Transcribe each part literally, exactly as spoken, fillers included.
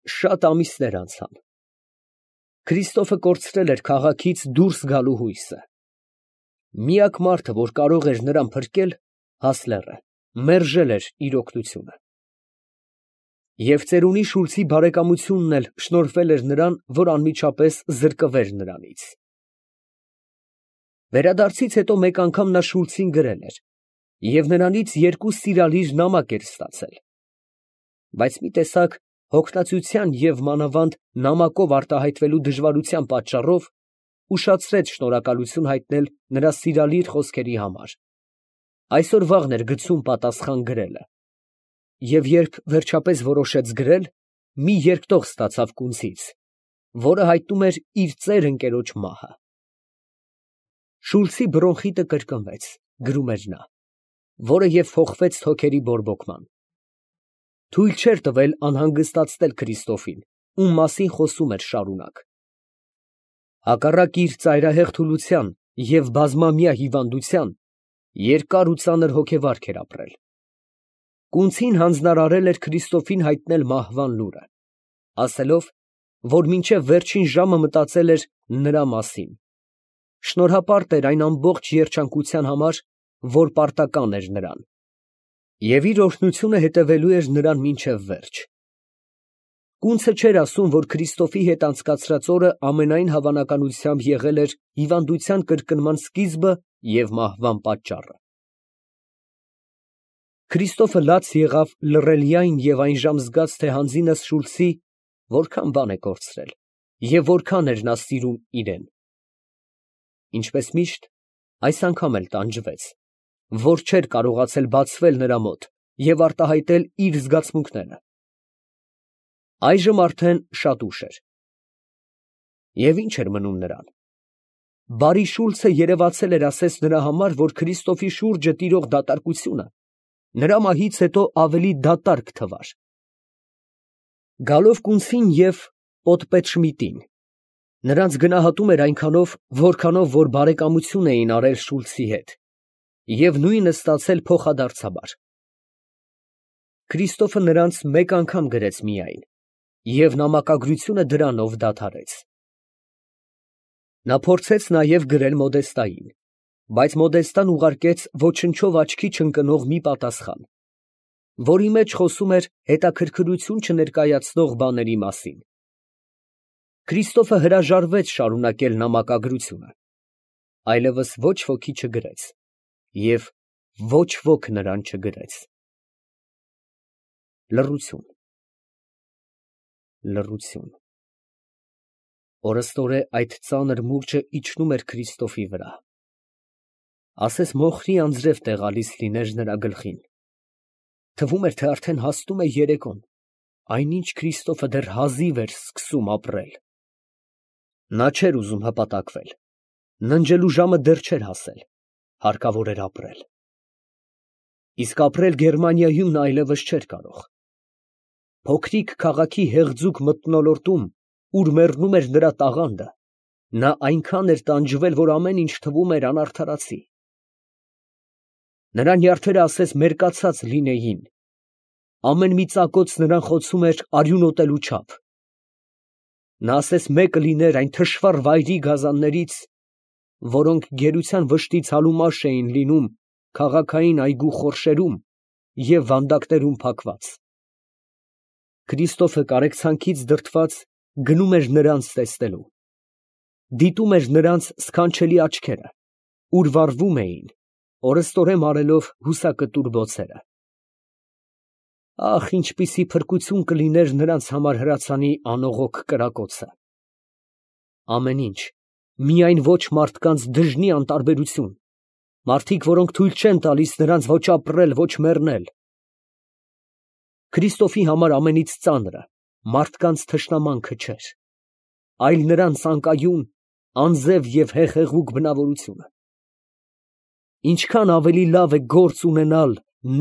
Շատ ամիսներ անցան։ Քրիստոֆը կորցրել էր քաղաքից դուրս գալու հույսը։ Միակ մարդը, որ կարող էր նրան փրկել, Հասլերը, մերժել էր իր օգնությունը։ Եվ ծերունի Շուլցի բարեկամությունն էլ շնորհվել էր նրան, որ անմիջապես զրկվեր նրանից։ Վերադարձից հետո մեկ անգամ նա Շուլցին գրել էր և նրանից երկու սիրալիր նամակ էր ստացել, բայց մի տեսակ հոգնածության և մանավանդ նամակով արտահայտվելու դժվարության պատճառով ուշացրեց շնորհակալություն հայտնել նրա սիրալիր խոսքերի համար։ Այսօր֊վաղն էր գցում պատասխան գրելը, և երբ վերջապես որոշեց գրել, մի երկտող ստացավ կունցից, որը հայտնում էր իր ծեր ընկերոջ մահը։ Շուլցի բրոնխիտը կրկնվեց, գրում էր նա, որը և փոխվեց թոքերի բորբոքման։ Թույլ չէր տվել անհանգստացնել Քրիստոֆին, ում մասին խոսում էր շարունակ։ Հակառակ իր ծայրահեղ թուլության և բազմամյա հիվանդության, երկար ու ծանր հոգեվարք էր ապրել։ Կունցին հանձնարարել էր Քրիստոֆին հայտնել մահվան լուրը, ասելով, որ մինչև վերջին ժամը մտածել էր նրա մասին, շնորհապարտ էր այն ամբողջ երջանկության համար, որ պարտական էր նրան, և իր օրհնությունը հետևելու էր նրան մինչև վերջ։ Կունցը չէր ասում, որ Քրիստոֆի հետ անցկացրած օրը ամենայն հավանականությամբ եղել էր հիվանդության կրկնման սկիզբը և մահվան պատճառը։ Քրիստոֆը լաց եղավ լռելի այն և այն ժամ զգաց, թե հանձինս Շուլցի որքան բան է կորցրել և որքան էր նա սիրում իրեն։ Ինչպես միշտ, այս անգամ էլ տանջվեց, որ չէր կարողացել բացվել նրա մոտ և արտահայտել իր զգացմունքները։ Այժմ արդեն շատ ուշ էր։ Եվ ի՞նչ էր մնում նրան։ Բարի Շուլցը երևացել էր ասես նրա համար, որ Քրիստոֆի շուրջը տիրող դատարկությունը նրա մահից հետո ավելի դատարկ թվար։ Գալով կունցին և պոդպետշմիտին, նրանց գնահատում էր այնքանով, որքանով որ բարեկամություն էին արել Շուլցի հետ, և նույնը ստացել փոխադարձաբար։ Քրիստոֆը նրանց մեկ անգամ գրեց միայն, և նամակագրությունը դրանով դադարեց։ Նա փորձեց նաև գրել Մոդեստային, բայց Մոդեստան ուղարկեց ոչնչով աչքի չընկնող մի պատասխան, որի մեջ խոսում էր հետաքրքրություն չներկայացնող բաների մասին։ Քրիստոֆը հրաժարվեց շարունակել նամակագրությունը, այլևս ոչ ոքի չգրեց, և ոչ ոք նրան չգրեց։ Լռություն, լռություն… Օրըստօրե այդ ծանր մուրճը իջնում էր Քրիստոֆի վրա, ասես մոխրի անձրև տեղալիս լիներ նրա գլխին։ Թվում էր, թե արդեն հասնում է երեկոն, այնինչ Քրիստոֆը դեռ հազիվ էր սկսում ապրել։ Նա չէր ուզում հպատակվել, ննջելու ժամը դեռ չէր հասել, հարկավոր էր ապրել։ Իսկ ապրել Գերմանիայում նա այլևս չէր կարող։ Փոքրիկ քաղաքի հեղձուկ մթնոլորտում, ուր մեռնում էր նրա տաղանդը, նա այնքան էր տանջվել, որ ամեն ինչ թվում էր անարդարացի։ Նրա նյարդերը ասես մերկացած լինեին, ամեն մի ծակոց նրան խոցում էր արյունոտելու չափ։ Նա ասես մեկը լիներ այն թշվառ վայրի գազաններից, որոնք գերության վշտից հալումաշ էին լինում քաղաքային այգու խորշերում և վանդակներում փակված։ Քրիստոֆը կարեկցանքից դրդված գնում էր նրանց տեսնելու, դիտում էր նրանց սքանչելի աչքերը, ուր վառվում էին, օրըստօրե մարելով հուսակտուր բոցերը։ Ախ, ինչպիսի փրկություն կլիներ նրանց համար հրացանի անողոք կրակոցը։ Ամեն ինչ, միայն ոչ մարդկանց դժնի անտարբերություն, մարդիկ, որոնք թույլ չեն տալիս նրանց ոչ ապրել, ոչ մեռնել։ Քրիստոֆի համար ամենից ծանրը մարդկանց թշնամանքը չէր, այլ նրանց անկայուն, անձև և հեղեղուկ բնավորությունը։ Ինչքան ավելի լավ է գործ ունենալ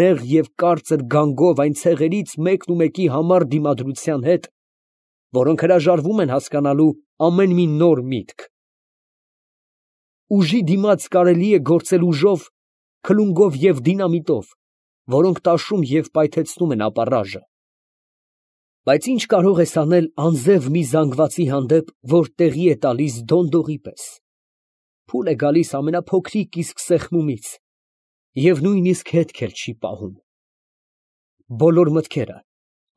նեղ և կարծր գանգով այն ցեղերից մեկն ու մեկի համառ դիմադրության հետ, որոնք հրաժարվում են հասկանալու ամեն մի նոր միտք։ Ուժի դիմաց կարելի է գործել ուժով, քլունգով և դինամիտով, որոնք տաշում և պայթեցնում են ապառաժը։ Բայց ինչ կարող ես անել անձև մի զանգվածի հանդեպ, որ տեղի է տալիս դոնդողի պես. փուլ է գալիս ամենափոքրիկ իսկ սեղմումից, և նույնիսկ հետք էլ չի պահում։ Բոլոր մտքերը,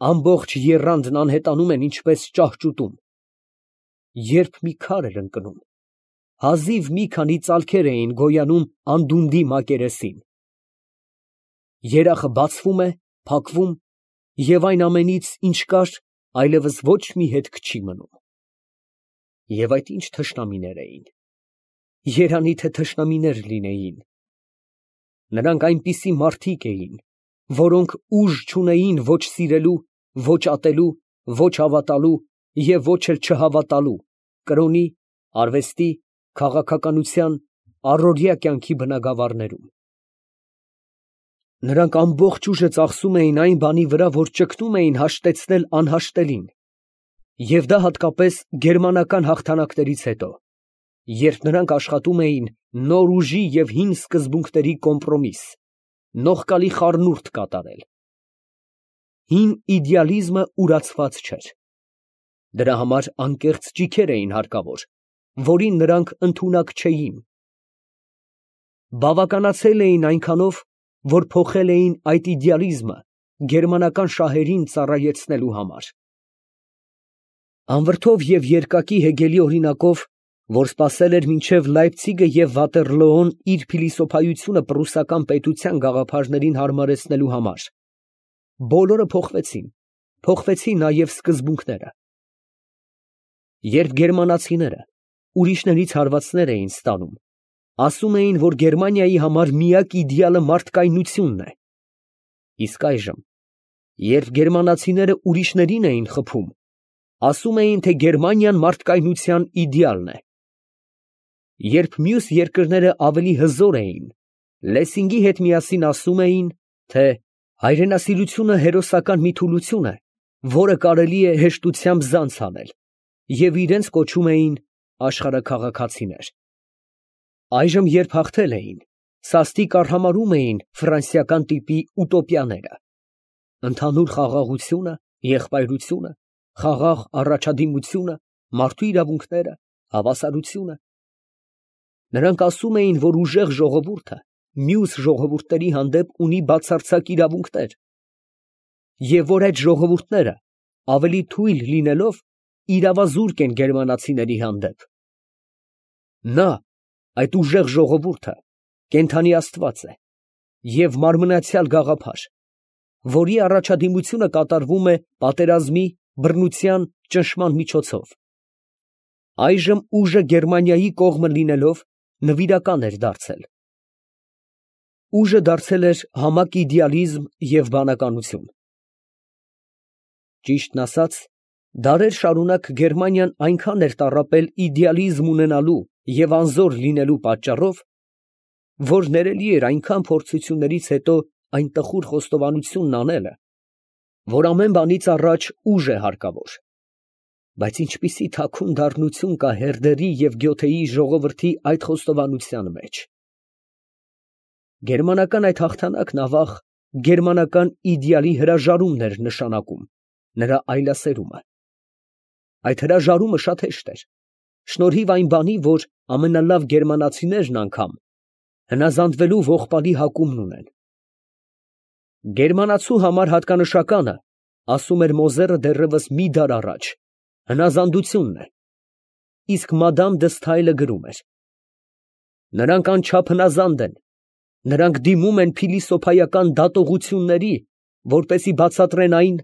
ամբողջ եռանդն անհետանում են ինչպես ճահճուտում։ Երբ մի քար էր ընկնում, հազիվ մի քանի ծալքեր էին գոյանում անդունդի մակերեսին։ Երախը բացվում է, փակվում, և այն ամենից, ինչ կար, այլևս ոչ մի հետք չի մնում։ Եվ այդ ինչ թշնամիներ էին, երանի թե թշնամիներ լինեին։ Նրանք այնպիսի մարդիկ էին, որոնք ուժ չունեին ոչ սիրելու, ոչ ատելու, ոչ հավատալու և ոչ էլ չհավատալու կրոնի, արվեստի, քաղաքականության, առօրյա կյանքի բնագավառներում։ Նրանք ամբողջ ուժը ծախսում էին այն բանի վրա, որ ճգնում էին հաշտեցնել անհաշտելին, և դա հատկապես գերմանական հաղթանակներից հետո, երբ նրանք աշխատում էին նոր ուժի և հին սկզբունքների կոմպրոմիս, նողկալի խառնուրդ կատարել։ Հին իդեալիզմը ուրացված չէր։ Դրա համար անկեղծ ճիգեր էին հարկավոր, որին նրանք ընդունակ չէին։ Բավականացել էին այնքանով, որ փոխել էին այդ իդեալիզմը գերմանական շահերին ծառայեցնելու համար։ Անվրդով և երկակի հեգելի օրինակով, որ սպասել էր մինչև Լայպցիգը և Վատերլոոն իր փիլիսոփայությունը պրուսական պետության գաղափարներին հարմարեցնելու համար, բոլորը փոխվեցին, փոխվեցին նաև սկզբունքները։ Երբ գերմանացիները ուրիշներից հարվածներ էին ստանում, ասում էին, որ Գերմանիայի համար միակ իդեալը մարդկայնությունն է, իսկ այժմ, երբ գերմանացիները ուրիշներին էին խփում, ասում էին, թե Գերմանիան մարդկայնության իդեալն է։ Երբ մյուս երկրները ավելի հզոր էին, Լեսինգի հետ միասին ասում էին, թե հայրենասիրությունը հերոսական մի թուլություն է, որը կարելի է հեշտությամբ զանց անել, և իրենց կոչում էին աշխարհաքաղաքացիներ։ Այժմ, երբ հաղթել էին, սաստիկ արհամարհում էին ֆրանսիական տիպի ուտոպիաները. ընդհանուր խաղաղությունը, եղբայրությունը, խաղաղ առաջադիմությունը, մարդու իրավունքները, հավասարությունը։ Նրանք ասում էին, որ ուժեղ ժողովուրդը մյուս ժողովուրդների հանդեպ ունի բացարձակ իրավունքներ, և որ այդ ժողովուրդները, ավելի թույլ լինելով, իրավազուրկ են գերմանացիների հանդեպ։ Նա, այդ ուժեղ ժողովուրդը, կենդանի աստված է և մարմնացյալ գաղափար, որի առաջադիմությունը կատարվում է պատերազմի, բռնության, ճնշման միջոցով։ Այժմ ուժը Գերմանիայի կողմը լինելով, նվիրական էր դարձել։ Ուժը դարձել էր համակ իդեալիզմ և բանականություն։ Ճիշտն ասած, դարեր շարունակ Գերմանիան այնքան էր տառապել իդեալիզմ ունենալու և անզոր լինելու պատճառով, որ ներելի էր այնքան փորձություններից հետո այն տխուր խոստովանությունն անելը, որ ամեն բանից առաջ ուժ է հարկավոր։ Բայց ինչպիսի թաքուն դառնություն կա Հերդերի և Գյոթեի ժողովրդի այդ խոստովանության մեջ։ Գերմանական այդ հաղթանակն ավաղ գերմանական իդեալի հրաժարումն էր նշանակում, նրա այլասերումը։ Այդ հրաժարումը շատ հեշտ էր, շնորհիվ այն բանի, որ ամենալավ գերմանացիներն անգամ հնազանդվելու ողբալի հակումն ունեն։ Գերմանացու համար հատկանշականը, ասում էր Մոզերը դեռևս մի դար առաջ, հնազանդությունն է, իսկ մադամ դը Սթայլը գրում էր. նրանք անչափ հնազանդ են, նրանք դիմում են փիլիսոփայական դատողությունների, որպեսզի բացատրեն այն,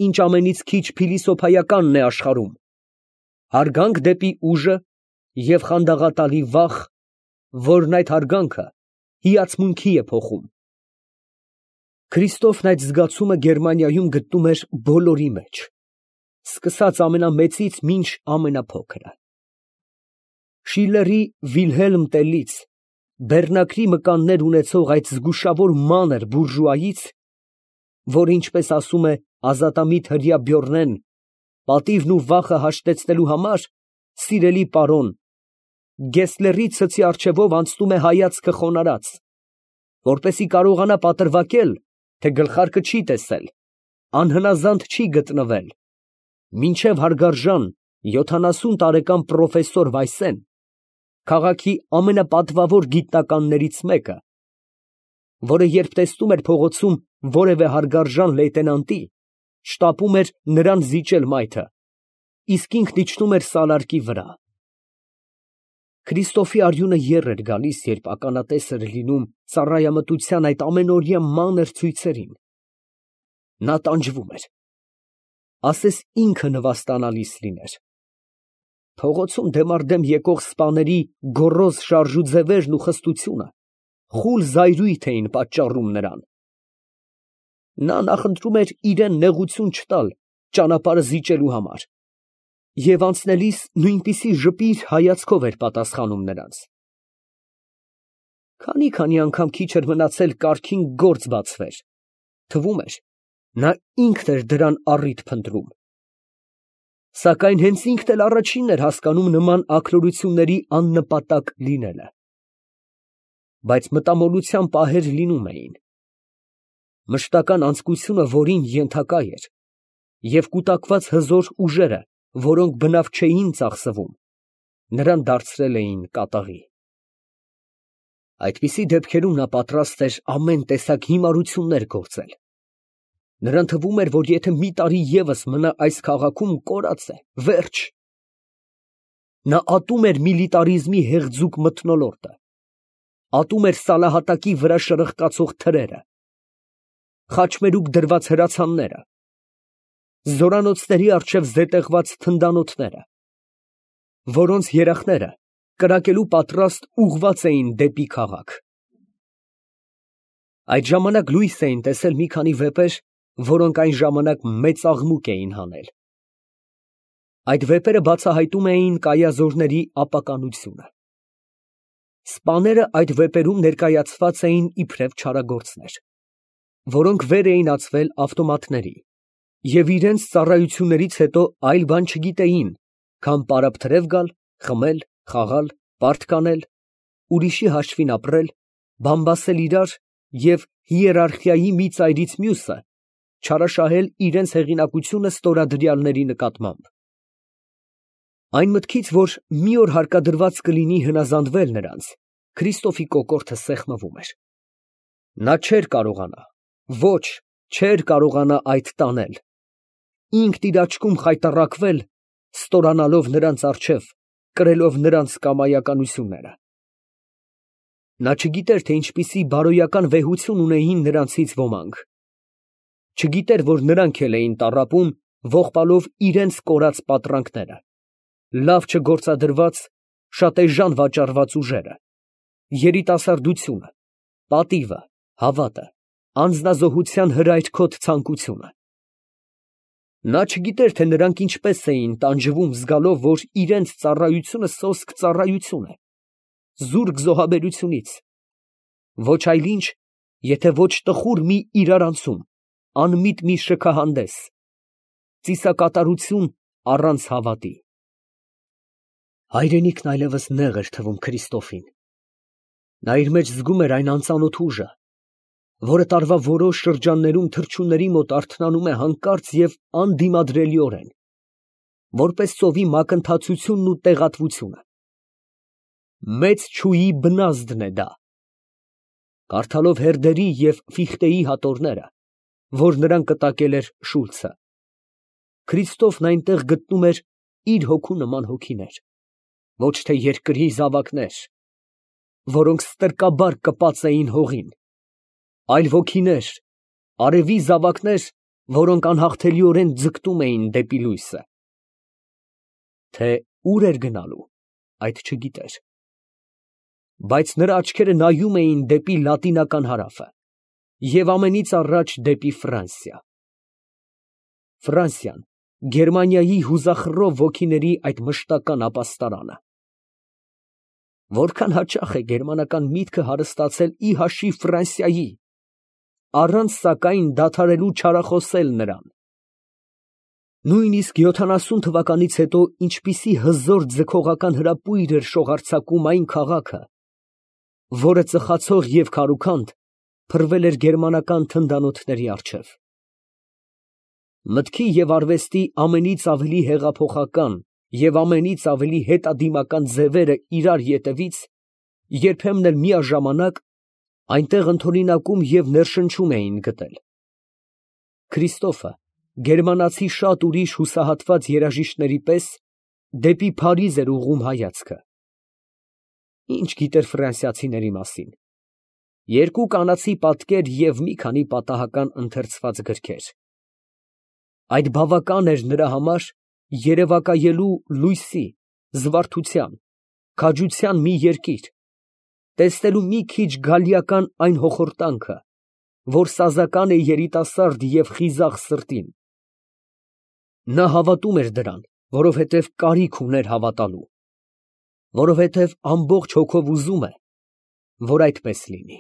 ինչ ամենից քիչ փիլիսոփայականն է աշխարհում, հարգանք դեպի ուժը և խանդաղատալի վախ, որն այդ հարգանքը հիացմունքի է փոխում։ Քրիստոֆն այդ զգացումը Գերմանիայում գտնում էր բոլորի մեջ, սկսած ամենամեծից մինչ ամենափոքրը։ Շիլլերի Վիլհելմ Տելից բեռնակրի մկաններ ունեցող այդ զգուշավոր մանր բուրժուայից, որ, ինչպես ասում է ազատամիտ հրեա Բյորնեն, պատիվն ու վախը հաշտեցնելու համար, սիրելի պարոն, Գեսլերի ցցի առջևով անցնում է հայացքը խոնարհած, որպեսզի կարողանա պատրվակել, թե գլխարկը չի տեսել, անհնազանդ չի գտնվել, մինչև հարգարժան յոթանասուն տարեկան պրոֆեսոր Վայսեն, քաղաքի ամենապատվավոր գիտնականներից մեկը, որը երբ տեսնում էր փողոցում որևէ հարգարժան լեյտենանտի, շտապում էր նրան զիջել մայթը, իսկ ինքն իջնում էր սալարկի վրա։ Քրիստոֆի արյունը եռ էր գալիս, երբ ականատես էր լինում ծառայամտության այդ ամենօրյա մանր ցույցերին։ Նա տանջվում էր, ասես ինքը նվաստանալիս լիներ։ Փողոցում դեմառդեմ եկող սպաների գոռոզ շարժուձևերն ու խստությունը խուլ զայրույթ էին պատճառում նրան։ Նա նախընտրում էր իրան նեղություն չտալ ճանապարհը զիջելու համար, և անցնելիս նույնպիսի ժպիր հայացքով էր պատասխանում նրանց։ Քանի֊քանի անգամ քիչ էր մնացել կառքին գործ բացվեր, թվում էր, նա ինքն էր դրան առիթ փնտրում։ Սակայն հենց ինքն էլ առաջինն էր հասկանում նման աքլորությունների աննպատակ լինելը։ Բայց մտամոլության պահեր լինում էին։ Մշտական անձկությունը, որին ենթակա էր, և կուտակված հզոր ուժերը, որոնք բնավ չէին ծախսվում, նրան դարձրել էին կատաղի։ Այդպիսի դեպքերում նա պատրաստ էր ամեն տեսակ հիմարություններ գործել։ Նրան թվում էր, որ եթե մի տարի ևս մնա այս քաղաքում, կորած է, վերջ։ Նա ատում էր միլիտարիզմի հեղձուկ մթնոլորտը, ատում էր սալահատակի վրա շրխկացող թրերը, խաչմերուկ դրված հրացանները, զորանոցների առջև զետեղված թնդանոթները, որոնց երախները կրակելու պատրաստ ուղղված էին դեպի քաղաք։ Այդ ժամանակ լույս էին տեսել մի քանի վեպեր, որոնք այն ժամանակ մեծ աղմուկ էին հանել։ Այդ վեպերը բացահայտում էին կայազորների ապականությունը։ Սպաները այդ վեպերում ներկայացված էին իբրև չարագործներ, որոնք վեր էին ածվել ավտոմատների և իրենց ծառայություններից հետո այլ բան չգիտեին, քան պարապ֊թրև գալ, խմել, խաղալ, պարտկանել, ուրիշի հաշվին ապրել, բամբասել իրար և հիերարխիայի մի ծայրից մյուսը չարաշահել իրենց հեղինակությունը ստորադրյալների նկատմամբ։ Այն մտքից, որ մի օր հարկադրված կլինի հնազանդվել նրանց, Քրիստոֆի կոկորդը սեղմվում էր։ Նա չէր կարողանա, ոչ, չէր կարողանա այդ տանել, ինքն իր աչքում խայտառակվել, ստորանալով նրանց առջև, կրելով նրանց կամայականությունները։ Նա չգիտեր, թե ինչպիսի բարոյական վեհություն ունեին նրանցից ոմանք, չգիտեր, որ նրանք էլ էին տառապում, ողբալով իրենց կորած պատրանքները, լավ չգործադրված, շատ էժան վաճառված ուժերը, երիտասարդությունը, պատիվը, հավատը, անձնազոհության հրայրքոտ ցանկությունը։ Նա չգիտեր, թե նրանք ինչպես էին տանջվում, զգալով, որ իրենց ծառայությունը սոսկ ծառայություն է, զուրկ զոհաբերությունից, ոչ այլ ինչ, եթե ոչ տխուր մի իրարանցում, անմիտ մի շքահանդես, ծիսակատարություն առանց հավատի։ Հայրենիքն այլևս նեղ էր թվում Քրիստոֆին։ Նա իր մեջ զգում էր այն անծանոթ ուժը, որը տարվա որոշ շրջաններում թռչունների մոտ արթնանում է հանկարծ և անդիմադրելիորեն, որպես ծովի մակընթացությունն ու տեղատվությունը։ Մեծ չուի բնազդն է դա։ Կարդալով Հերդերի և Ֆիխտեի հատորները, որ նրան կտակել էր Շուլցը, Քրիստոֆն այնտեղ գտնում էր իր հոգու նման հոգիներ, ոչ թե երկրի զավակներ, որոնք ստրկաբար կպած էին հողին, այլ ոգիներ, արևի զավակներ, որոնք անհաղթելիորեն ձգտում էին դեպի լույսը։ Թե ուր էր գնալու, այդ չգիտեր, բայց նրա աչքերը նայում էին դեպի լատինական հարավը և ամենից առաջ դեպի Ֆրանսիա։ Ֆրանսիան, Գերմանիայի հուզախռով ոգիների այդ մշտական ապաստարանը։ Որքան հաճախ է գերմանական միտքը հարստացել ի հաշիվ Ֆրանսիայի, առանց սակայն դադարելու չարախոսել նրան։ Նույնիսկ յոթանասուն թվականից հետո ինչպիսի հզոր ձգողական հրապույր էր շողարցակում այն քաղաքը, որը ծխացող և քարուքանդ փռվել էր գերմանական թնդանոթների առջև։ Մտքի և արվեստի ամենից ավելի հեղափոխական և ամենից ավելի հետադիմական ձևերը իրար ետևից, երբեմն էլ միաժամանակ, այնտեղ ընդօրինակում և ներշնչում էին գտել։ Քրիստոֆը, գերմանացի շատ ուրիշ հուսահատված երաժիշտների պես, դեպի Փարիզ էր ուղղում հայացքը։ Ի՞նչ գիտեր ֆրանսիացիների մասին։ Երկու կանացի պատկեր և մի քանի պատահական ընթերցված գրքեր։ Այդ բավական էր նրա համար երևակայելու լույսի, զվարթության, քաջության մի երկիր, տեսնելու մի քիչ գալիական այն հոխորտանքը, որ սազական է երիտասարդ և խիզախ սրտին։ Նա հավատում էր դրան, որովհետև կարիք ուներ հավատալու, որովհետև ամբողջ հոգով ուզում է, որ այդպես լինի։